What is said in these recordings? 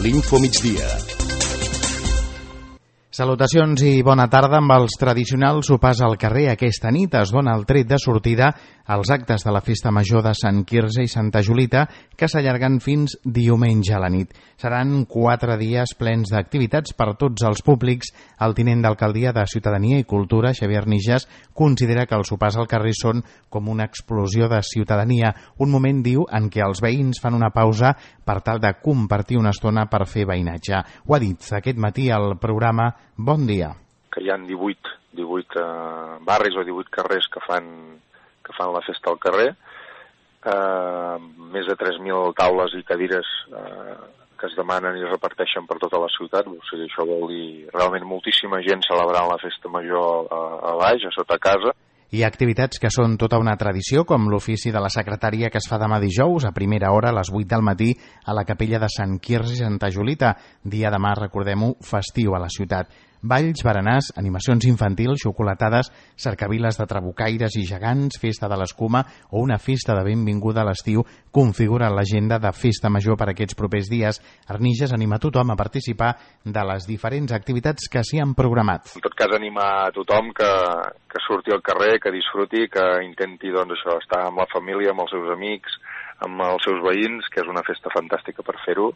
l'Info Migdia. Salutacions i bona tarda. Amb els tradicionals sopars al carrer, aquesta nit es dona el tret de sortida als actes de la Festa Major de Sant Quirze i Santa Julita, que s'allarguen fins diumenge a la nit. Seran 4 dies plens d'activitats per tots els públics. El tinent d'alcaldia de Ciutadania i Cultura, Xavier Nijas, considera que els sopars al carrer són com una explosió de ciutadania, un moment, diu, en què els veïns fan una pausa per tal de compartir una estona per fer veïnatge. Ho ha dit aquest matí al programa Bon dia. Que hi ha 18 barris o 18 carrers que fan la festa al carrer, més de 3.000 taules i cadires que es demanen i es reparteixen per tota la ciutat. O sigui, això vol dir realment moltíssima gent celebrant la festa major a baix, a sota casa. Hi ha activitats que són tota una tradició, com l'ofici de la secretària que es fa demà dijous a primera hora a les 8 del matí a la capella de Sant Quirze i Santa Julita. Dia demà, recordem-ho, festiu a la ciutat. Balls, berenars, animacions infantils, xocolatades, cercaviles de trabucaires i gegants, festa de l'escuma o una festa de benvinguda a l'estiu configuren l'agenda de festa major per aquests propers dies. Arnijas anima tothom a participar de les diferents activitats que s'hi han programat. En tot cas, animar a tothom que surti al carrer, que disfruti, que intenti estar amb la família, amb els seus amics, amb els seus veïns, que és una festa fantàstica per fer-ho,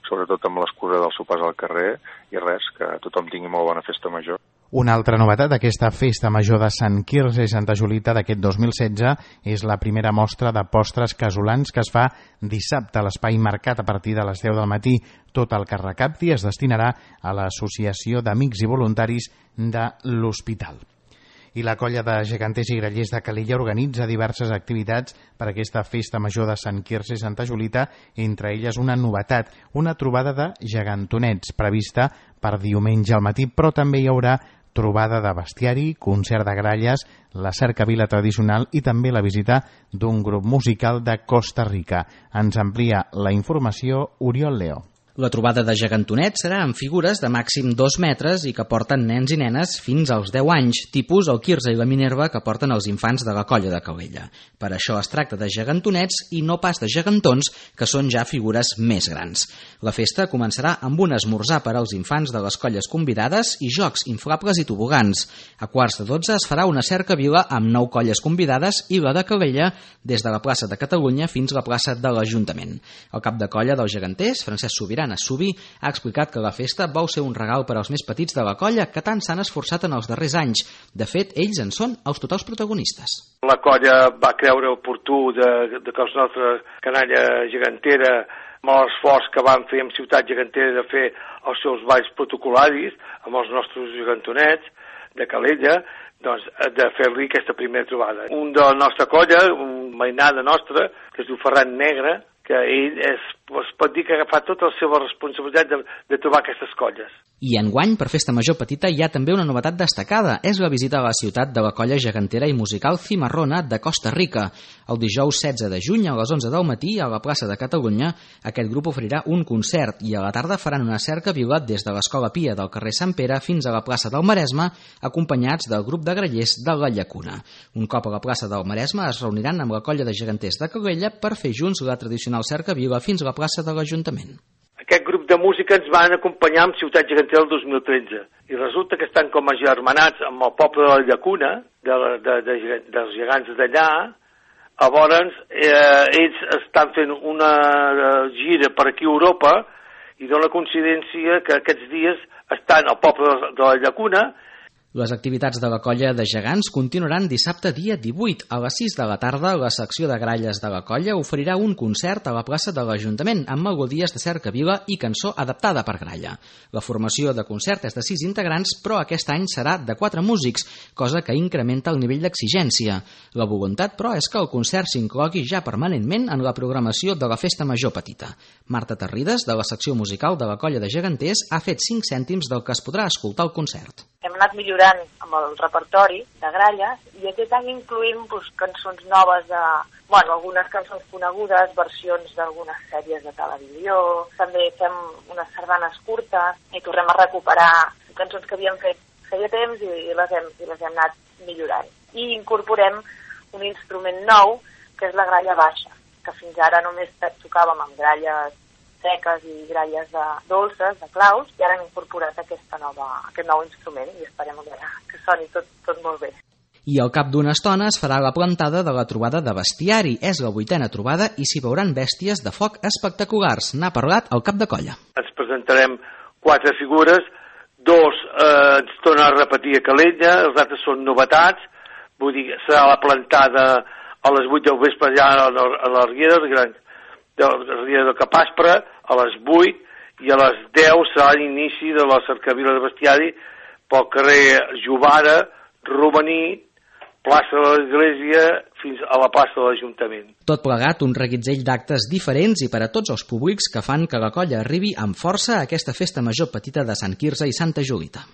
sobretot amb l'excusa dels sopars al carrer, i res, que tothom tingui molt bona festa major. Una altra novetat d'aquesta festa major de Sant Quirze i Santa Julita d'aquest 2016 és la primera mostra de postres casolans que es fa dissabte a l'espai Mercat a partir de les 10 del matí. Tot el que recapti es destinarà a l'Associació d'Amics i Voluntaris de l'Hospital. I la colla de geganters i grallers de Calella organitza diverses activitats per a aquesta festa major de Sant Quirze i Santa Julita, entre elles una novetat, una trobada de gegantonets prevista per diumenge al matí, però també hi haurà trobada de bestiari, concert de gralles, la cercavila tradicional i també la visita d'un grup musical de Costa Rica. Ens amplia la informació Oriol Leo. La trobada de gegantonets serà en figures de màxim 2 metres i que porten nens i nenes fins als 10 anys, tipus el Quirze i la Minerva que porten els infants de la colla de Calella. Per això es tracta de gegantonets i no pas de gegantons, que són ja figures més grans. La festa començarà amb un esmorzar per als infants de les colles convidades i jocs inflables i tobogans. A 11:45 es farà una cercavila amb 9 colles convidades i la de Calella des de la plaça de Catalunya fins a la plaça de l'Ajuntament. El cap de colla dels geganters, Francesc Subirà Subí, ha explicat que la festa vol ser un regal per als més petits de la colla que tant s'han esforçat en els darrers anys. De fet, ells en són els totals protagonistes. La colla va creure oportú de que la nostra canalla gegantera, amb l'esforç que van fer en Ciutat Gegantera de fer els seus balls protocolaris amb els nostres gegantonets de Calella, doncs, de fer-li aquesta primera trobada. Un de la nostra colla, un mainada nostra, que es diu Ferran Negre, que ell es pot dir que ha agafat tota la seva responsabilitat de trobar aquestes colles. I enguany, per Festa Major Petita, hi ha també una novetat destacada. És la visita a la ciutat de la colla gegantera i musical Cimarrona de Costa Rica. El dijous 16 de juny, a les 11 del matí, a la plaça de Catalunya, aquest grup oferirà un concert i a la tarda faran una cercavila des de l'Escola Pia del carrer Sant Pere fins a la plaça del Maresme, acompanyats del grup de grallers de la Llacuna. Un cop a la plaça del Maresme es reuniran amb la colla de geganters de Calella per fer junts la tradicional cercavila fins a la plaça de l'Ajuntament. Aquest grup de música ens van acompanyar amb Ciutat Gegantera el 2013 i resulta que estan com agermanats amb el poble de la Llacuna, dels gegants d'allà. Llavors, ells estan fent una gira per aquí a Europa i dona coincidència que aquests dies estan al poble de la Llacuna. Les activitats de la colla de gegants continuaran dissabte dia 18. A les 6 de la tarda, la secció de gralles de la colla oferirà un concert a la plaça de l'Ajuntament amb melodies de cercavila i cançó adaptada per gralla. La formació de concert és de 6 integrants, però aquest any serà de 4 músics, cosa que incrementa el nivell d'exigència. La voluntat, però, és que el concert s'inclogui ja permanentment en la programació de la Festa Major Petita. Marta Terrides, de la secció musical de la colla de geganters, ha fet 5 cèntims del que es podrà escoltar al concert. Hem anat millorant amb el repertori de gralles i aquest any incluïm cançons noves algunes cançons conegudes, versions d'algunes sèries de televisió, també fem unes sardanes curtes i tornem a recuperar cançons que havíem fet feia temps i les hem anat millorant. I incorporem un instrument nou que és la gralla baixa, que fins ara només tocàvem amb gralles seques i gralles dolces, de claus, i ara hem incorporat aquest nou instrument i esperem que soni tot molt bé. I al cap d'una estona es farà la plantada de la trobada de bestiari. És la 8ª trobada i s'hi veuran bèsties de foc espectaculars. N'ha parlat el cap de colla. Ens presentarem 4 figures, 2 ens tornen a repetir a Calella, els altres són novetats, vull dir, serà la plantada a les 8 del vespre allà a la Riera del Capaspre, a les 8, i a les 10 serà l'inici de la cercavila de bestiari pel carrer Jovara, Romaní, plaça de l'Església fins a la plaça de l'Ajuntament. Tot plegat, un reguitzell d'actes diferents i per a tots els públics que fan que la colla arribi amb força a aquesta festa major petita de Sant Quirze i Santa Julita.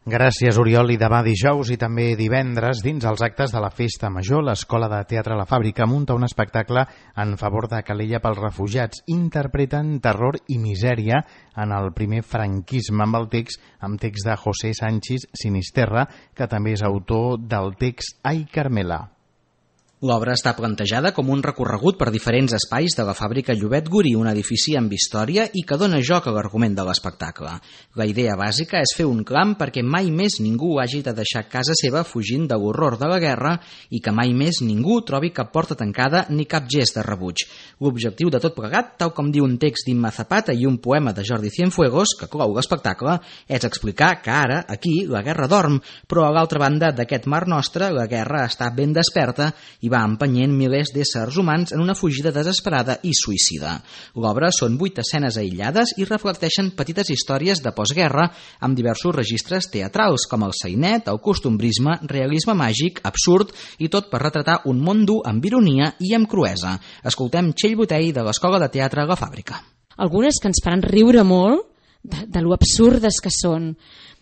Gràcies, Oriol. I demà dijous i també divendres, dins els actes de la Festa Major, l'Escola de Teatre La Fàbrica munta un espectacle en favor de Calella pels refugiats. Interpreten terror i misèria en el primer franquisme amb text de José Sánchez Sinisterra, que també és autor del text Ai Carmela. L'obra està plantejada com un recorregut per diferents espais de la fàbrica Llobet Gurí, un edifici amb història i que dona joc a l'argument de l'espectacle. La idea bàsica és fer un clam perquè mai més ningú hagi de deixar casa seva fugint de l'horror de la guerra i que mai més ningú trobi cap porta tancada ni cap gest de rebuig. L'objectiu de tot plegat, tal com diu un text d'Imma Zapata i un poema de Jordi Cienfuegos, que clou l'espectacle, és explicar que ara, aquí, la guerra dorm, però a l'altra banda d'aquest mar nostre, la guerra està ben desperta i va empenyent milers d'éssers humans en una fugida desesperada i suïcida. L'obra són 8 escenes aïllades i reflecteixen petites històries de postguerra amb diversos registres teatrals, com el sainet, el costumbrisme, realisme màgic, absurd i tot per retratar un món dur amb ironia i amb cruesa. Escoltem Txell Botell de l'Escola de Teatre La Fàbrica. Algunes que ens faran riure molt de lo absurdes que són,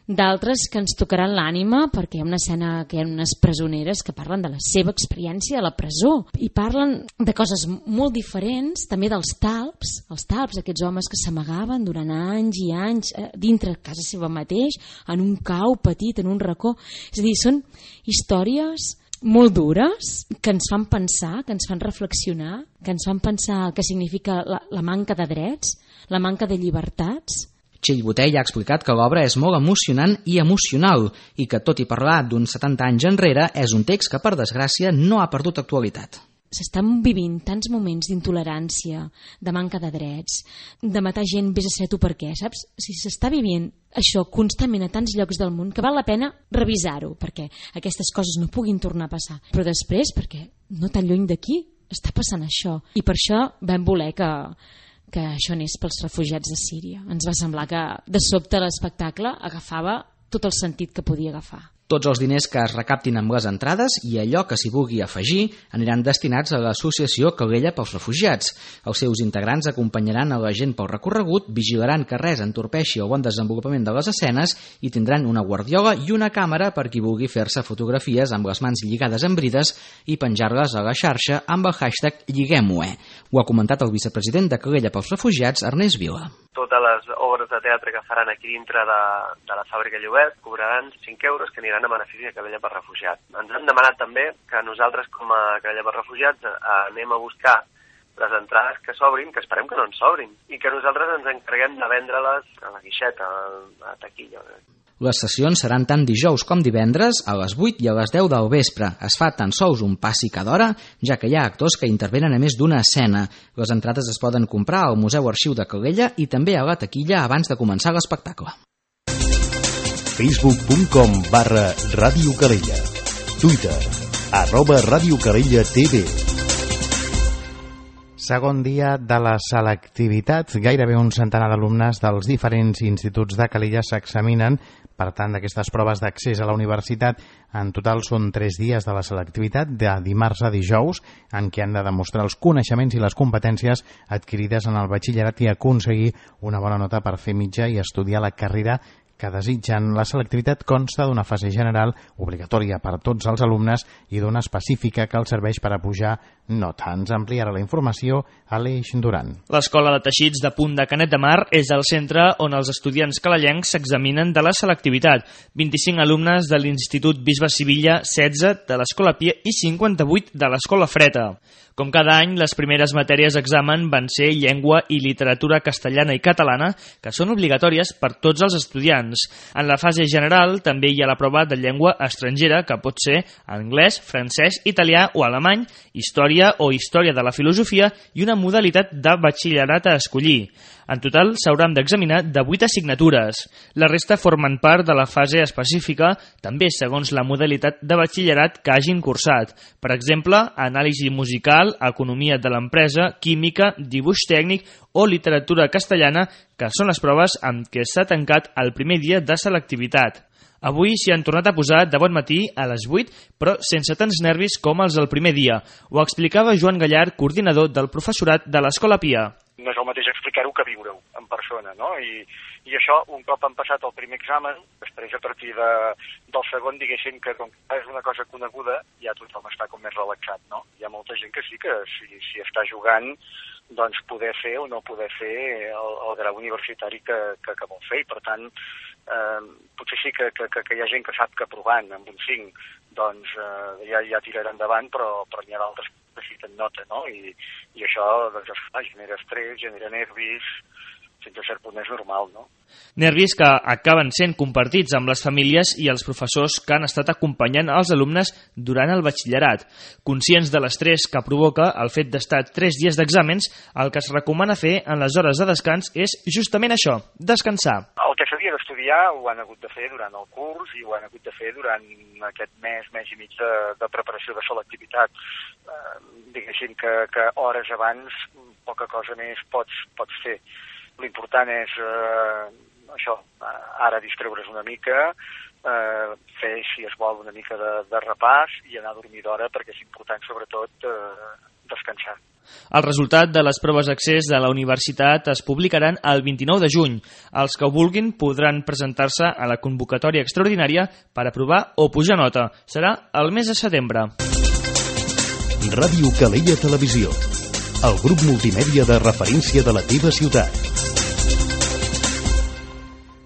d'altres que ens tocaran l'ànima perquè hi ha una escena que hi ha unes presoneres que parlen de la seva experiència a la presó i parlen de coses molt diferents, també dels talps, aquests homes que s'amagaven durant anys i anys dintre casa seva mateix, en un cau petit, en un racó. És a dir, són històries molt dures que ens fan pensar, que ens fan reflexionar, que ens fan pensar el que significa la manca de drets, la manca de llibertats. Txell Botell ha explicat que l'obra és molt emocionant i emocional i que, tot i parlar d'uns 70 anys enrere, és un text que, per desgràcia, no ha perdut actualitat. S'estan vivint tants moments d'intolerància, de manca de drets, de matar gent, vés a saber tu per què, saps? Si s'està vivint això constantment a tants llocs del món que val la pena revisar-ho, perquè aquestes coses no puguin tornar a passar. Però després, perquè no tan lluny d'aquí està passant això. I per això vam voler que això anés pels refugiats de Síria. Ens va semblar que de sobte l'espectacle agafava tot el sentit que podia agafar. Tots els diners que es recaptin amb les entrades i allò que s'hi vulgui afegir aniran destinats a l'associació Calella pels Refugiats. Els seus integrants acompanyaran a la gent pel recorregut, vigilaran que res entorpeixi el bon desenvolupament de les escenes i tindran una guardiola i una càmera per qui vulgui fer-se fotografies amb les mans lligades amb brides i penjar-les a la xarxa amb el hashtag Lliguem-ho-e. Ho ha comentat el vicepresident de Calella pels Refugiats, Ernest Vila. Totes les obres de teatre que faran aquí dintre de la fàbrica Llobet cobraran 5 euros que aniran a benefici de Calella per Refugiats. Ens han demanat també que nosaltres, com a Calella per Refugiats, anem a buscar les entrades que s'obrin, que esperem que no ens s'obrin, i que nosaltres ens encarreguem de vendre-les a la guixeta, a la taquilla. Les sessions seran tant dijous com divendres a les 8 i a les 10 del vespre. Es fa tan sols un passi cada hora, ja que hi ha actors que intervenen a més d'una escena. Les entrades es poden comprar al Museu Arxiu de Calella i també a la taquilla abans de començar l'espectacle. Facebook.com/Ràdio Calella. Twitter @Ràdio Calella TV. Segon dia de la selectivitat. Gairebé un centenar d'alumnes dels diferents instituts de Calella s'examinen. Per tant, d'aquestes proves d'accés a la universitat, en total són 3 dies de la selectivitat, de dimarts a dijous, en què han de demostrar els coneixements i les competències adquirides en el batxillerat i aconseguir una bona nota per fer mitja i estudiar la carrera que desitgen. La selectivitat consta d'una fase general obligatòria per a tots els alumnes i d'una específica que els serveix per a pujar nota. Ens ampliarà la informació Aleix Duran. L'Escola de Teixits de Punt de Canet de Mar és el centre on els estudiants calellencs s'examinen de la selectivitat. 25 alumnes de l'Institut Bisbe Sivilla, 16 de l'Escola Pia i 58 de l'Escola Freta. Com cada any, les primeres matèries d'examen van ser llengua i literatura castellana i catalana, que són obligatòries per tots els estudiants. En la fase general també hi ha la prova de llengua estrangera, que pot ser anglès, francès, italià o alemany, història o història de la filosofia i una modalitat de batxillerat a escollir. En total s'hauran d'examinar de 8 assignatures. La resta formen part de la fase específica, també segons la modalitat de batxillerat que hagin cursat. Per exemple, anàlisi musical, economia de l'empresa, química, dibuix tècnic o literatura castellana, que són les proves amb què s'ha tancat el primer dia de selectivitat. Avui s'hi han tornat a posar de bon matí a les 8, però sense tants nervis com els del primer dia. Ho explicava Joan Gallard, coordinador del professorat de l'Escola Pia. No és el mateix explicar-ho que viure-ho en persona, no? I això, un cop han passat el primer examen, després a partir del segon, diguéssim que com que és una cosa coneguda, ja tothom està com més relaxat, no? Hi ha molta gent que sí que si està jugant, doncs poder fer o no poder fer el grau universitari que vol fer, i per tant potser sí que hi ha gent que sap que provant amb un 5 doncs ja tirarà endavant, però n'hi ha d'altres que necessiten nota, no? I això doncs, genera estrès, genera nervis, fins a cert punt és normal, no? Nervis que acaben sent compartits amb les famílies i els professors que han estat acompanyant els alumnes durant el batxillerat. Conscients de l'estrès que provoca el fet d'estar 3 dies d'exàmens, el que es recomana fer en les hores de descans és justament això, descansar. El que s'havia d'estudiar ho han hagut de fer durant el curs i ho han hagut de fer durant aquest mes i mig de preparació de selectivitat. Diguéssim que hores abans poca cosa més pots fer. L'important és això, ara distreure's una mica, fer, si es vol, una mica de repàs i anar a dormir d'hora, perquè és important, sobretot, descansar. El resultat de les proves d'accés de la universitat es publicaran el 29 de juny. Els que ho vulguin podran presentar-se a la convocatòria extraordinària per aprovar o pujar nota. Serà el mes de setembre. Ràdio Calella Televisió, el grup multimèdia de referència de la teva ciutat.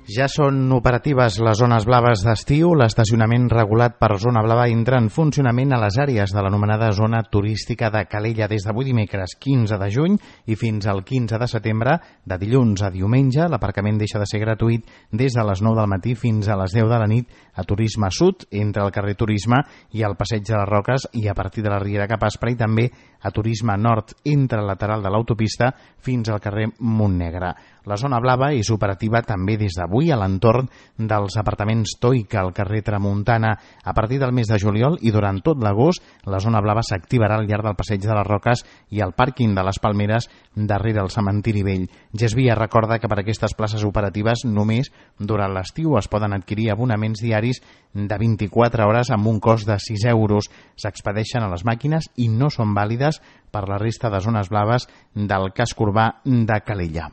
Ja són operatives les zones blaves d'estiu. L'estacionament regulat per zona blava entra en funcionament a les àrees de l'anomenada zona turística de Calella des d'avui dimecres 15 de juny i fins al 15 de setembre. De dilluns a diumenge, l'aparcament deixa de ser gratuït des de les 9 del matí fins a les 10 de la nit a Turisme Sud, entre el carrer Turisme i el Passeig de les Roques, i a partir de la Riera cap a Aspre, i també a Turisme Nord, entre el lateral de l'autopista fins al carrer Montnegre. La zona blava és operativa també des d'avui a l'entorn dels apartaments Toica al carrer Tramuntana. A partir del mes de juliol i durant tot l'agost, la zona blava s'activarà al llarg del Passeig de les Roques i al pàrquing de les Palmeres darrere el cementiri vell. Gesvia recorda que per aquestes places operatives només durant l'estiu es poden adquirir abonaments diaris de 24 hores amb un cost de 6 euros. S'expedeixen a les màquines i no són vàlides per la resta de zones blaves del casc urbà de Calella.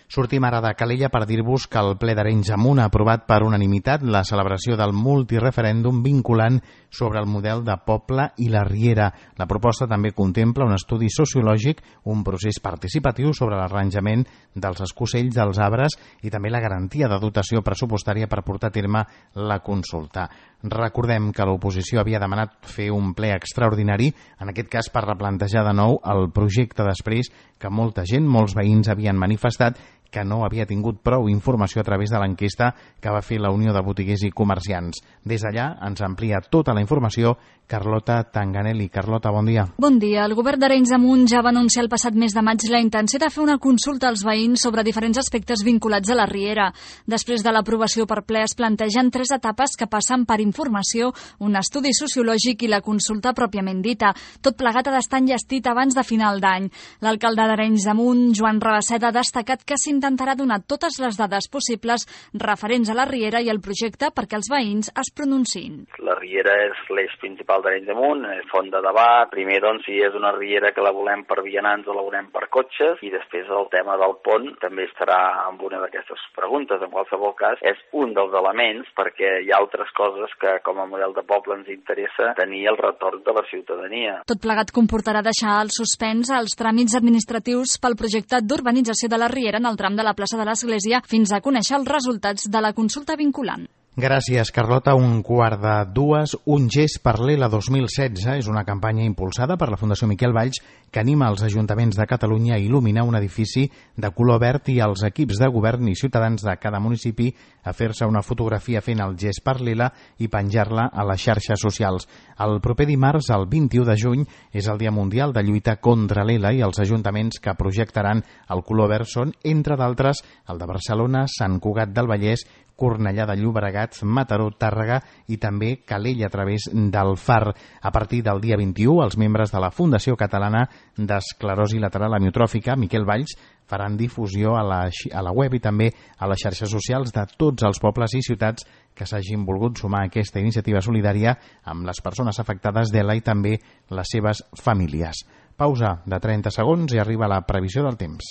Sortim ara de Calella per dir-vos que el ple d'Arenys de Munt ha aprovat per unanimitat la celebració del multireferèndum vinculant sobre el model de poble i la Riera. La proposta també contempla un estudi sociològic, un procés participatiu sobre l'arranjament dels escocells dels arbres i també la garantia de dotació pressupostària per portar a terme la consulta. Recordem que l'oposició havia demanat fer un ple extraordinari, en aquest cas per replantejar de nou el projecte després que molta gent, molts veïns havien manifestat que no havia tingut prou informació a través de l'enquesta que va fer la Unió de Botiguers i Comerciants. Des d'allà ens amplia tota la informació Carlota Tanganelli. Carlota, bon dia. Bon dia. El govern d'Arenys de Munt ja va anunciar el passat mes de maig la intenció de fer una consulta als veïns sobre diferents aspectes vinculats a la Riera. Després de l'aprovació per ple es plantegen 3 etapes que passen per informació, un estudi sociològic i la consulta pròpiament dita. Tot plegat ha d'estar enllestit abans de final d'any. L'alcalde d'Arenys de Munt, Joan Rabasset, ha destacat que s'iniciarà intentarà donar totes les dades possibles referents a la riera i el projecte perquè els veïns es pronunciïn. La riera és l'eix principal d'Arenys de Munt, és font de debat. Primer, doncs, si és una riera que la volem per vianants o la volem per cotxes, i després el tema del pont també estarà en una d'aquestes preguntes. En qualsevol cas, és un dels elements perquè hi ha altres coses que com a model de poble ens interessa tenir el retorn de la ciutadania. Tot plegat comportarà deixar al suspens els tràmits administratius pel projecte d'urbanització de la riera en el tram de la plaça de l'Església fins a conèixer els resultats de la consulta vinculant. Gràcies, Carlota. 1:45. Un gest per l'ELA 2016 és una campanya impulsada per la Fundació Miquel Valls que anima els ajuntaments de Catalunya a il·luminar un edifici de color verd i els equips de govern i ciutadans de cada municipi a fer-se una fotografia fent el gest per l'ELA i penjar-la a les xarxes socials. El proper dimarts, el 21 de juny, és el Dia Mundial de Lluita contra l'ELA i els ajuntaments que projectaran el color verd són, entre d'altres, el de Barcelona, Sant Cugat del Vallès, Cornellà de Llobregat, Mataró, Tàrrega i també Calella a través del Far. A partir del dia 21, els membres de la Fundació Catalana d'Esclerosi Lateral Amiotròfica, Miquel Valls, faran difusió a la web i també a les xarxes socials de tots els pobles i ciutats que s'hagin volgut sumar a aquesta iniciativa solidària amb les persones afectades d'ELA i també les seves famílies. Pausa de 30 segons i arriba la previsió del temps.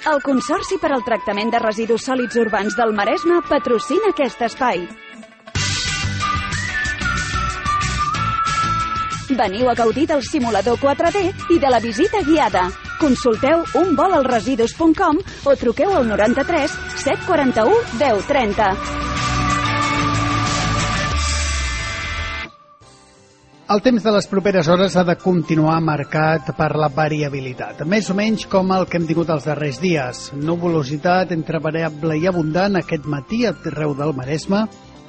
El Consorci per al Tractament de Residus Sòlids Urbans del Maresme patrocina aquest espai. Veniu a gaudir del simulador 4D i de la visita guiada. Consulteu unvolalresidus.com o truqueu al 93 741 1030. El temps de les properes hores ha de continuar marcat per la variabilitat, més o menys com el que hem tingut els darrers dies. Nuvolositat entre variable i abundant aquest matí arreu del Maresme,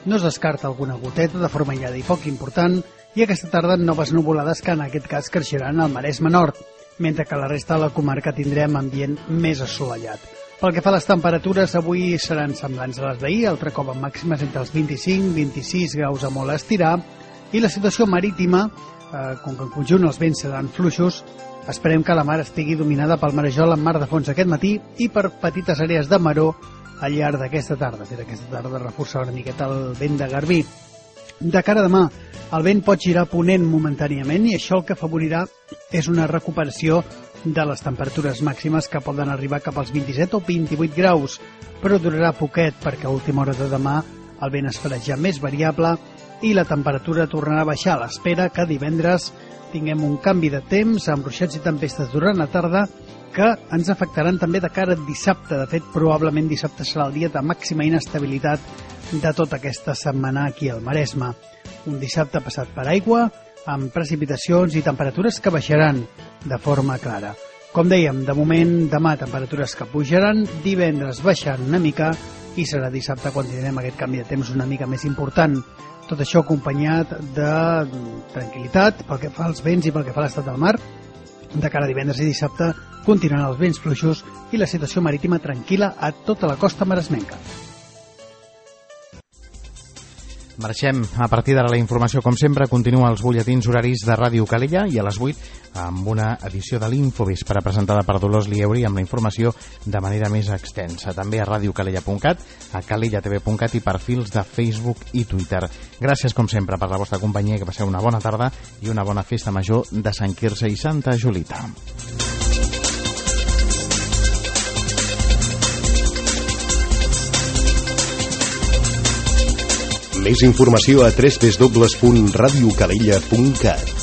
no es descarta alguna goteta de forma aïllada i poc important, i aquesta tarda noves nuvolades que en aquest cas creixeran al Maresme Nord, mentre que a la resta de la comarca tindrem ambient més assolellat. Pel que fa a les temperatures, avui seran semblants a les d'ahir, altre cop amb màximes entre els 25 i 26 graus a molt estirar, i la situació marítima, com que en conjunt els vents seran fluixos, esperem que la mar estigui dominada pel marejol en mar de fons aquest matí i per petites àrees de maró al llarg d'aquesta tarda. Fer aquesta tarda reforçar una miqueta el vent de Garbí. De cara a demà, el vent pot girar ponent momentàniament i això el que afavorirà és una recuperació de les temperatures màximes que poden arribar cap als 27 o 28 graus, però durarà poquet perquè a última hora de demà el vent es farà ja més variable i la temperatura tornarà a baixar a l'espera que divendres tinguem un canvi de temps amb ruixats i tempestes durant la tarda que ens afectaran també de cara a dissabte. De fet, probablement dissabte serà el dia de màxima inestabilitat de tota aquesta setmana aquí al Maresme. Un dissabte passat per aigua, amb precipitacions i temperatures que baixaran de forma clara. Com dèiem, de moment, demà temperatures que pujaran, divendres baixant una mica i serà dissabte quan tindrem aquest canvi de temps una mica més important. Tot això acompanyat de tranquil·litat pel que fa als vents i pel que fa a l'estat del mar. De cara a divendres i dissabte continuaran els vents fluixos i la situació marítima tranquil·la a tota la costa maresmenca. Marxem. A partir d'ara la informació, com sempre, continua els butlletins horaris de Ràdio Calella i a les 8 amb una edició de l'Infovespre presentada per Dolors Lieuri amb la informació de manera més extensa. També a radiocalella.cat, a calellatv.cat i perfils de Facebook i Twitter. Gràcies, com sempre, per la vostra companyia, que passeu una bona tarda i una bona festa major de Sant Quirze i Santa Julita. Més informació a www.radiocalella.cat.